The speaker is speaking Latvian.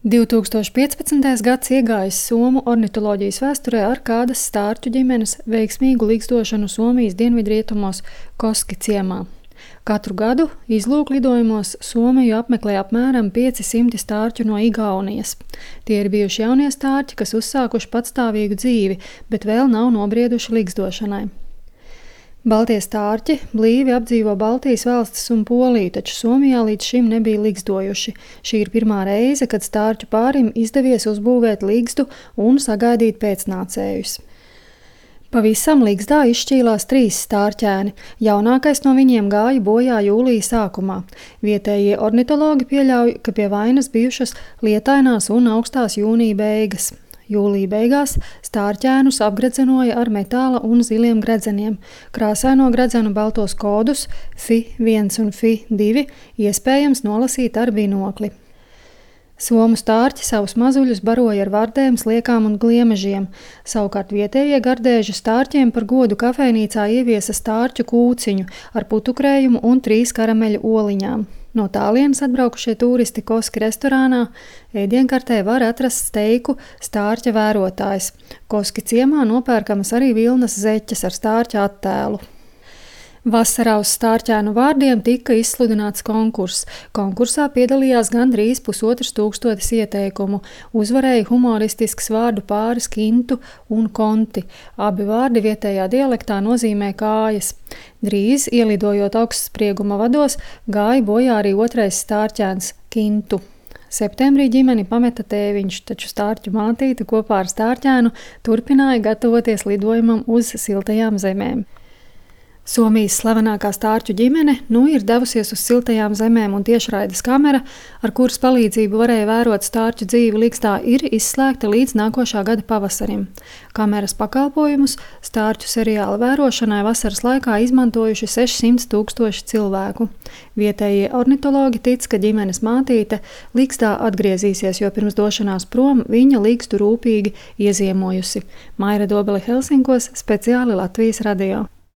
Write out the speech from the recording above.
2015. gads iegājis somu ornitoloģijas vēsturē ar kādas stārķu ģimenes veiksmīgu ligzdošanu Somijas dienvidrietumos Koski ciemā. Katru gadu izlūklidojumos Somiju apmeklē apmēram 500 stārķu no Igaunijas. Tie ir bijuši jaunie stārķi, kas uzsākuši patstāvīgu dzīvi, bet vēl nav nobrieduši ligzdošanai. Baltie stārķi blīvi apdzīvo Baltijas valstis un Poliju, taču Somijā līdz šim nebija ligzdojuši. Šī ir pirmā reize, kad stārķu pārim izdevies uzbūvēt ligzdu un sagaidīt pēcnācējus. Pavisam ligzdā izšķīlās 3 stārķēni. Jaunākais no viņiem gāja bojā jūlija sākumā. Vietējie ornitologi pieļauj, ka pie vainas bijušas lietainās un augstās jūnija beigas. Jūlija beigās stārķēnus apgredzenoja ar metāla un ziliem gredzeniem. Krāsaino gredzenu baltos kodus FI1 un FI2 iespējams nolasīt ar binokli. Somu stārķi savus mazuļus baroja ar vardēm, sliekām un gliemežiem. Savukārt vietējie gardēži stārķiem par godu kafejnīcā ieviesa stārķu kūciņu ar putukrējumu un 3 karameļu oliņām. No tālienes atbraukušie turisti Koski restorānā ēdienkartē var atrast steiku stārķa vērotājs. Koski ciemā nopērkamas arī vilnas zeķes ar stārķa attēlu. Vasarā uz stārķēnu vārdiem tika izsludināts konkurss. Konkursā piedalījās gandrīz 1500 ieteikumu. Uzvarēja humoristisks vārdu pāris kintu un konti. Abi vārdi vietējā dialektā nozīmē kājas. Drīz, ielidojot augstsprieguma vados, gāja bojā arī otrais stārķēns kintu. Septembrī ģimeni pameta tēviņš, taču stārķu mātīte kopā ar stārķēnu turpināja gatavoties lidojumam uz siltajām zemēm. Somijas slavenākā stārķu ģimene ir devusies uz siltajām zemēm un tiešraides kamera, ar kuras palīdzību varēja vērot stārķu dzīvi ligzdā, ir izslēgta līdz nākošā gada pavasarim. Kameras pakalpojumus stārķu seriāla vērošanai vasaras laikā izmantojuši 600 000 cilvēku. Vietējie ornitologi tic, ka ģimenes mātīte ligzdā atgriezīsies, jo pirms došanās prom viņa ligzdu rūpīgi ieziemojusi. Maira Dobele Helsinkos, speciāli Latvijas radio.